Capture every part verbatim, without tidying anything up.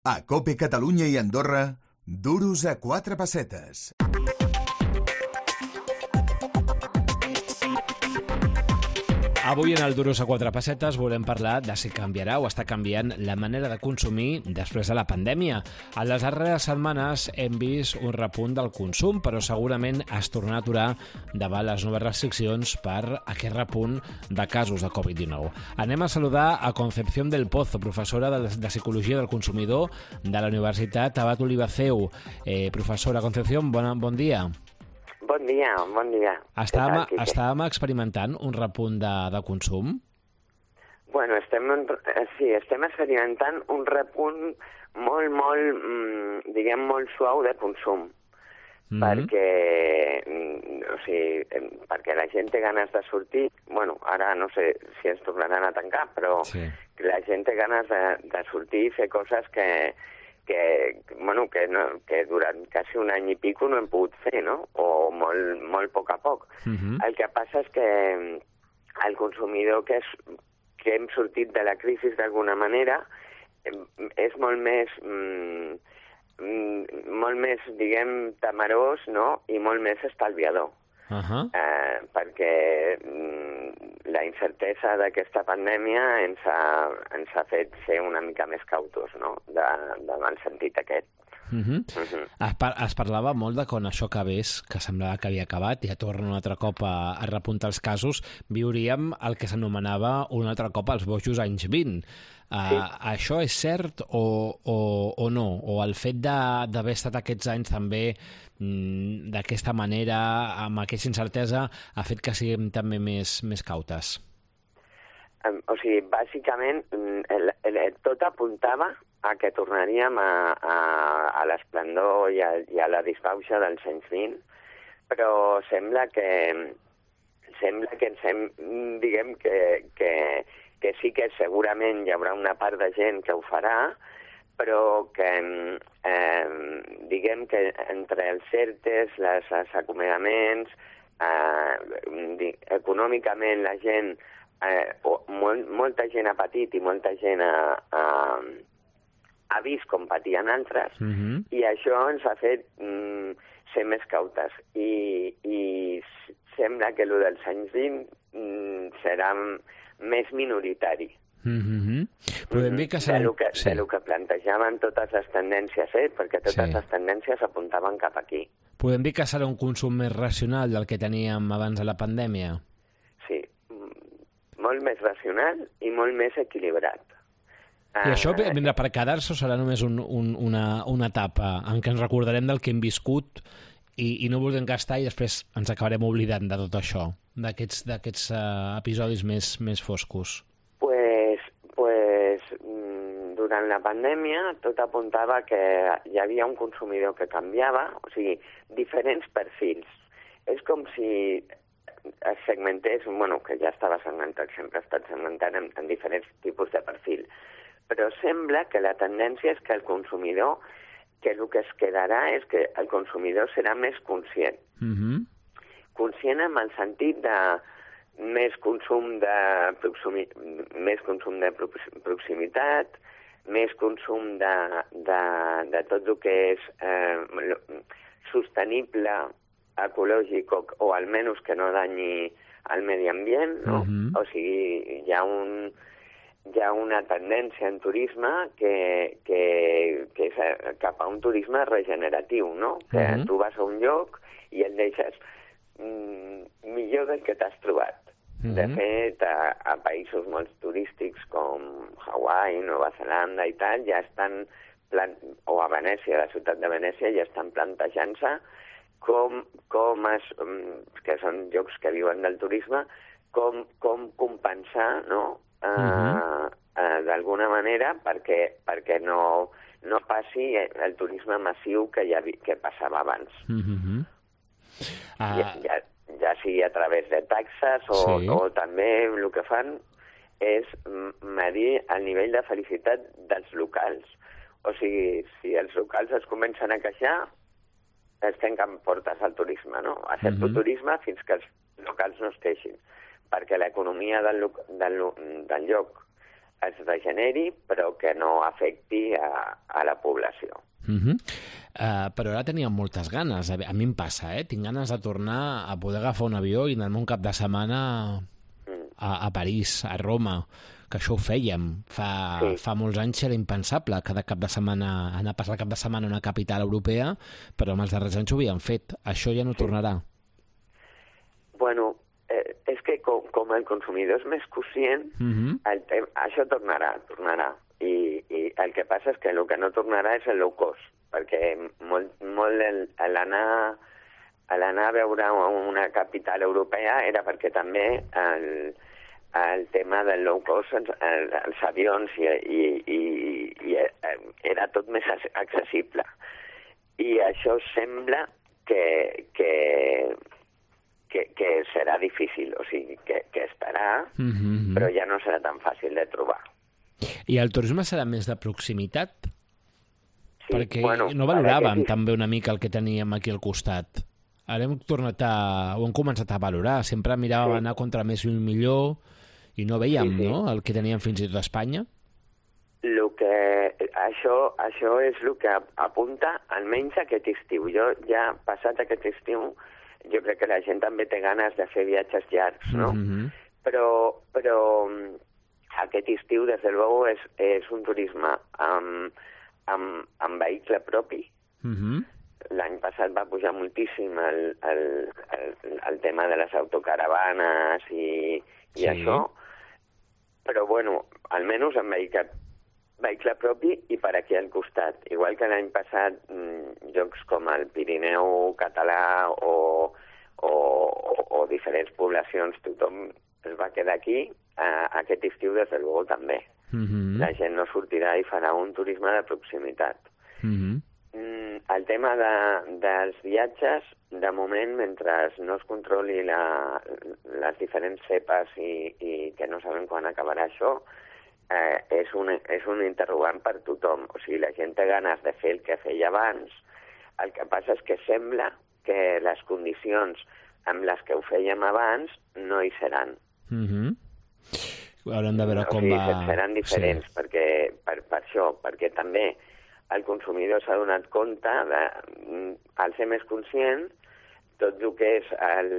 A COPE Catalunya i Andorra, duros a quatre pessetes. Avui en el Duros a quatre pessetes volem parlar de si canviarà o està canviant la manera de consumir després de la pandèmia. A les darreres setmanes hem vist un repunt del consum, però segurament es tornarà a aturar davant les noves restriccions per aquest repunt de casos de covid dinou. Anem a saludar a Concepción del Pozo, professora de, de Psicologia del Consumidor de la Universitat Abat Olivaceu. Eh, professora Concepción, bon, bon dia. Bon dia, bon dia. Estàvem, estàvem experimentant un repunt de, de consum? Bueno, estem, sí, estem experimentant un repunt molt, molt, mm, diguem, molt suau de consum. Mm-hmm. Perquè, o sigui, perquè la gent té ganes de sortir. Bueno, ara no sé si ens tornaran a tancar, però sí. La gent té ganes de, de sortir i fer coses que... que, bueno, que, no, que durant quasi un any i pico no hem pogut fer, no? O molt, molt a poc a poc. Uh-huh. El que passa és que el consumidor que, és, que hem sortit de la crisi d'alguna manera és molt més, mm, molt més, diguem, temerós, no? I molt més estalviador. Uh-huh. eh, perquè mm, la incertesa d'aquesta pandèmia ens ha, ens ha fet ser una mica més cautos, no? De, davant el sentit aquest. Uh-huh. Uh-huh. Es, par es parlava molt de quan això acabés, que semblava que havia acabat, i ja torna un altre cop a, a repuntar els casos, viuríem el que s'anomenava un altre cop els bojos anys vint. Uh, sí. Això és cert o, o, o no? O el fet d'haver estat aquests anys també mm, d'aquesta manera, amb aquesta incertesa, ha fet que siguem també més, més cautes? Um, o sigui, bàsicament, el, el, tot apuntava a que tornaríem a, a, a l'esplendor i, i a la disbauxa dels anys vint, però sembla que sembla que ens hem, diguem que, que que sí que segurament hi haurà una part de gent que ho farà, però que, eh, diguem que entre els certes, les, els acomiadaments, eh, econòmicament la gent, eh, molt, molta gent ha patit i molta gent ha, ha, ha vist com patien altres, mm-hmm. i això ens ha fet mm, ser més cautes. I, i sembla que el dels anys vint mm, serà més minoritari. Mm-hmm. Podem dir que serà... De lo que, sí. de lo que plantejaven totes les tendències, eh? Perquè totes sí. les tendències apuntaven cap aquí. Podem dir que serà un consum més racional del que teníem abans de la pandèmia? Sí, molt més racional i molt més equilibrat. I això vindrà per quedar-se o serà només un, un, una, una etapa en què ens recordarem del que hem viscut i, i no volem gastar i després ens acabarem oblidant de tot això, d'aquests uh, episodis més, més foscos? Pues, pues, durant la pandèmia tot apuntava que hi havia un consumidor que canviava, o sigui, diferents perfils. És com si es segmentés, bueno, que ja estava segmentat, sempre ha estat segmentat en, en diferents tipus de perfil, però sembla que la tendència és que el consumidor, que el que es quedarà és que el consumidor serà més conscient. Mm-hmm. Conscient en el sentit de més consum de, proximi, més consum de proximitat, més consum de, de, de tot el que és eh, sostenible, ecològic, o, o almenys que no danyi al medi ambient, no? Mm-hmm. O sigui, hi ha un... hi ha una tendència en turisme que, que, que és cap a un turisme regeneratiu, no? Que uh-huh. tu vas a un lloc i el deixes mm, millor del que t'has trobat. Uh-huh. De fet, a, a països molt turístics com Hawaii, Nova Zelanda i tal, ja estan, plant... o a Venècia, la ciutat de Venècia, ja estan plantejant-se com, com es, que són llocs que viuen del turisme, com, com compensar, no?, Uh, uh-huh. uh, d'alguna manera perquè, perquè no, no passi el turisme massiu que, ja, que passava abans. Uh-huh. uh... ja, ja, ja sigui a través de taxes o, sí. o també el que fan és medir el nivell de felicitat dels locals. O sigui, si els locals es comencen a queixar, es tanquen portes al turisme, no? A cert uh-huh. turisme fins que els locals no es queixin, perquè l'economia del, del, del lloc es regeneri, però que no afecti a, a la població. Uh-huh. Uh, però ara teníem moltes ganes. A mi em passa, eh? Tinc ganes de tornar a poder agafar un avió i anar-me un cap de setmana a, a París, a Roma, que això ho fèiem. Fa, sí. fa molts anys era impensable cada cap de setmana, anar a passar el cap de setmana a una capital europea, però en els darrers anys ho havien fet. Això ja no sí. tornarà. Bueno, eh, és que com, com el consumidor és més conscient, uh-huh. el te- això tornarà, tornarà. I, I el que passa és que el que no tornarà és el low cost, perquè molt, molt el, l'anar, l'anar a veure una capital europea era perquè també el, el tema del low cost, els, els avions, i, i, i, i era tot més accessible. I això sembla que, que, que, que serà difícil, o sigui, que, que estarà, mm-hmm. però ja no serà tan fàcil de trobar. I el turisme serà més de proximitat? Sí, perquè bueno, no valoràvem sí. també una mica el que teníem aquí al costat. Ara hem tornat a... ho hem començat a valorar. Sempre miràvem sí. anar contra més i un millor i no veiem sí, sí. no? el que teníem fins i tot a Espanya. Lo que, això, això és el que apunta almenys aquest estiu. Jo ja passat aquest estiu, jo crec que la gent també té ganes de fer viatges llargs, no? Mm-hmm. Però... però aquest estiu, des de luego, és, és un turisme amb, amb, amb vehicle propi. Mm-hmm. L'any passat va pujar moltíssim el, el, el, el tema de les autocaravanes i, i sí. això, però, bueno, almenys amb vehicle, vehicle propi i per aquí al costat. Igual que l'any passat, mmm, jocs com el Pirineu català o, o, o, o diferents poblacions, tothom es va quedar aquí. Uh, aquest estiu, des de luego, també. Mm-hmm. La gent no sortirà i farà un turisme de proximitat. Mm-hmm. Mm, el tema de, dels viatges, de moment, mentre no es controli la, les diferents cepes i, i que no sabem quan acabarà això, eh, és, un, és un interrogant per tothom. O sigui, la gent té ganes de fer el que feia abans. El que passa és que sembla que les condicions amb les que ho fèiem abans no hi seran. Mm-hmm. Haurem de veure com o sigui, va... seran diferents, sí. perquè, per, per això, perquè també el consumidor s'ha donat compte de, al ser més conscient, tot el que és el,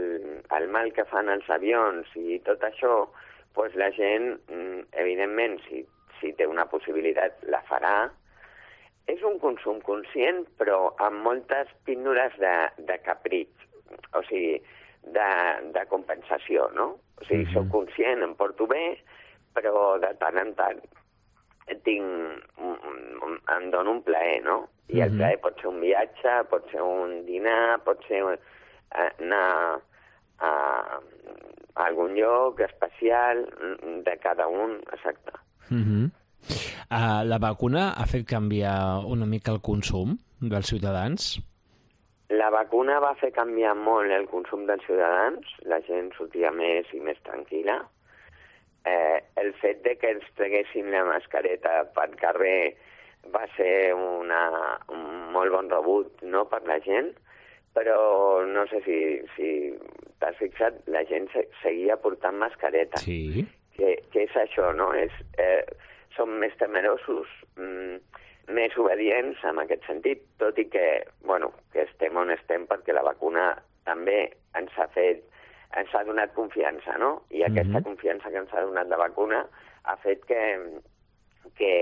el mal que fan els avions i tot això, doncs la gent, evidentment, si, si té una possibilitat, la farà. És un consum conscient, però amb moltes píndoles de, de capritx, o sigui, de, de compensació, no? O sigui, mm-hmm. soc conscient, em porto bé, però de tant en tant tinc, em dono un plaer, no? I el plaer pot ser un viatge, pot ser un dinar, pot ser anar a, a algun lloc especial de cada un, exacte. Mm-hmm. Uh, la vacuna ha fet canviar una mica el consum dels ciutadans? La vacuna va fer canviar molt el consum dels ciutadans, la gent sortia més i més tranquil·la. Eh, el fet de que ens treguessin la mascareta pel carrer va ser una, un molt bon rebut, no, per la gent, però no sé si, si t'has fixat, la gent se, seguia portant mascareta. Sí. Que, que és això, no? És, eh, som més temerosos, mm, més obedients en aquest sentit, tot i que, bueno, que estem on estem perquè la vacuna també ens ha fet, ens ha donat confiança, no? I mm-hmm. aquesta confiança que ens ha donat la vacuna ha fet que, que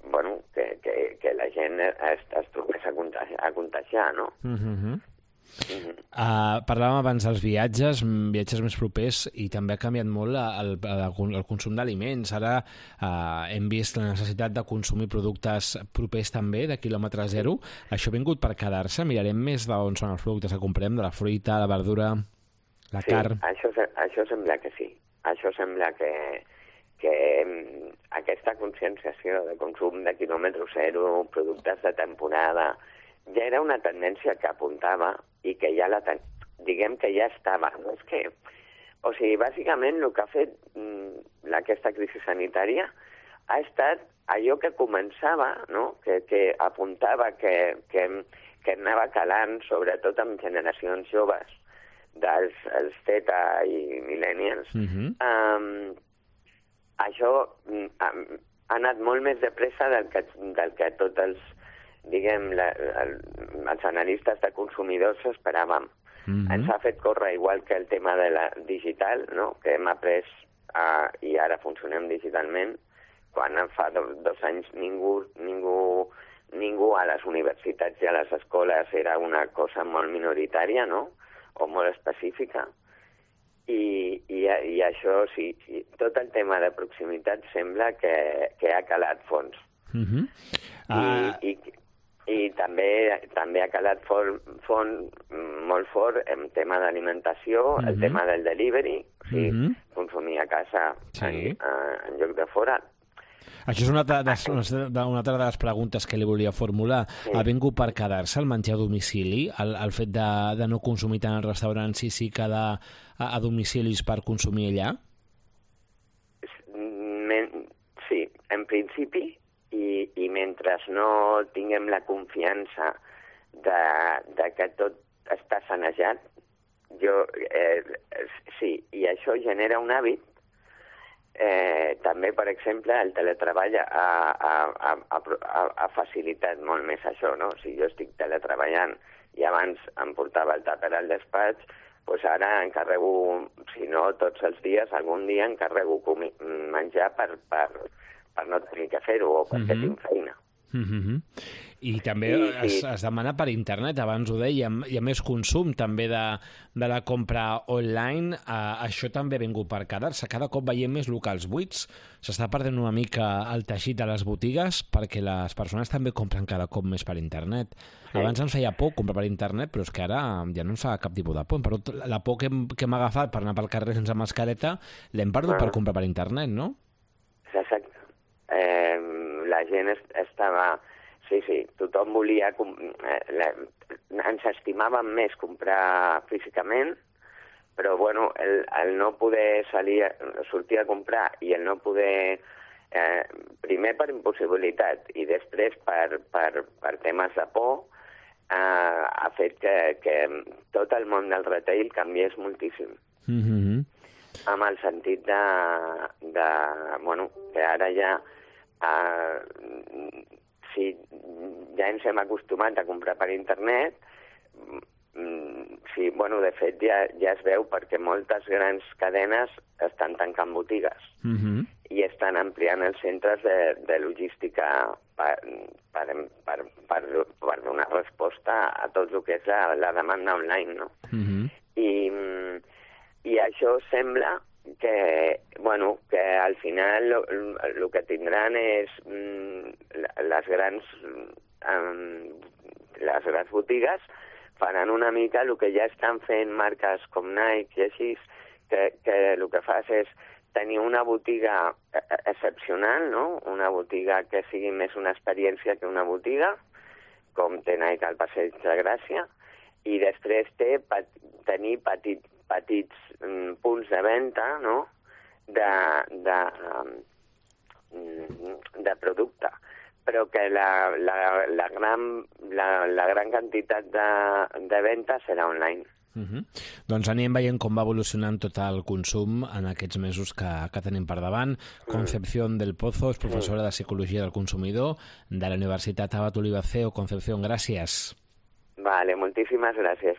bueno, que, que, que la gent es, es trobés a contagiar, a contagiar, no? Mm-hmm. Mm-hmm. Uh, parlàvem abans dels viatges, viatges més propers, i també ha canviat molt el, el, el consum d'aliments. Ara uh, hem vist la necessitat de consumir productes propers també, de quilòmetre zero. Això ha vingut per quedar-se? Mirarem més d'on són els productes que comprem, de la fruita, la verdura, la sí, carn? Això, això sembla que sí. Això sembla que, que aquesta conscienciació de consum de quilòmetre zero, productes de temporada, ja era una tendència que apuntava i que ja la ten... diguem que ja estava. No és que... O sigui, bàsicament el que ha fet mm, aquesta crisi sanitària ha estat allò que començava, no? que, que apuntava que, que, que anava calant, sobretot amb generacions joves, dels els Z i millennials, mm-hmm. um, això ha, ha anat molt més de pressa del que, del que tots els, diguem, la, el, els analistes de consumidors s'esperàvem. Mm-hmm. Ens ha fet córrer igual que el tema de la digital, no? Que hem après uh, i ara funcionem digitalment, quan fa do, dos anys ningú, ningú, ningú a les universitats i a les escoles era una cosa molt minoritària, no? O molt específica. I, i, i això, sí, sí, tot el tema de proximitat sembla que, que ha calat fons. Mm-hmm. uh... I, i, i també també ha calat fort, fort, molt fort en tema d'alimentació, mm-hmm. el tema del delivery, o sigui, mm-hmm. consumir a casa sí. en, en lloc de fora. Això és una altra, de, una altra de les preguntes que li volia formular. Sí. Ha vingut per quedar-se el menjar a domicili, el, el fet de, de no consumir tant als restaurants i sí que de, a, a domicilis per consumir allà? Sí, en principi, i, i mentre no tinguem la confiança de, de que tot està sanejat, jo, eh, sí, i això genera un hàbit. Eh, també, per exemple, el teletreball ha, ha, ha, ha, ha facilitat molt més això, no? Si jo estic teletreballant i abans em portava el tàper al despatx, doncs ara encarrego, si no tots els dies, algun dia encarrego comi- menjar per, per, per no tenir que fer-ho o perquè mm-hmm. tinc feina. Mm-hmm. I també I, es, sí. es demana per internet, abans ho dèiem, hi ha més consum també de, de la compra online, uh, això també ha vingut per quedar-se, cada cop veiem més locals buits, s'està perdent una mica el teixit de les botigues perquè les persones també compren cada cop més per internet. Sí. Abans ens feia por comprar per internet, però és que ara ja no ens fa cap tipus de por, però la por que hem, que hem agafat per anar pel carrer sense mascareta l'hem perdut bueno. per comprar per internet, no? Exacte. Eh, la gent est- estava... Sí, sí, tothom volia... Eh, la, ens estimàvem més comprar físicament, però bueno, el, el no poder salir, sortir a comprar i el no poder... Eh, primer per impossibilitat i després per, per, per temes de por, eh, ha fet que, que tot el món del retail canviés moltíssim. Mm-hmm. Amb el sentit de, de... Bueno, que ara ja... Eh, si ja ens hem acostumat a comprar per internet, sí, bueno, de fet ja, ja es veu perquè moltes grans cadenes estan tancant botigues mm-hmm. i estan ampliant els centres de, de logística per, per, per, per, per donar resposta a tot el que és la, la demanda online, no? Mm-hmm. I, I això sembla que, bueno, que al final el que tindran és mm, les grans um, les grans botigues faran una mica el que ja estan fent marques com Nike i així, que, que el que fas és tenir una botiga excepcional, no? Una botiga que sigui més una experiència que una botiga, com té Nike al Passeig de Gràcia, i després té pat, tenir petit, petits mm, punts de venda, no?, de, de, um, de producte, però que la, la, la, gran, la, la gran quantitat de, de venda serà online. Uh-huh. Doncs anirem veient com va evolucionant tot el consum en aquests mesos que, que tenim per davant. Mm. Concepción del Pozo és professora mm. de Psicologia del Consumidor de la Universitat Abat Oliva C E O. Concepción, gràcies. Vale, moltíssimes gràcies.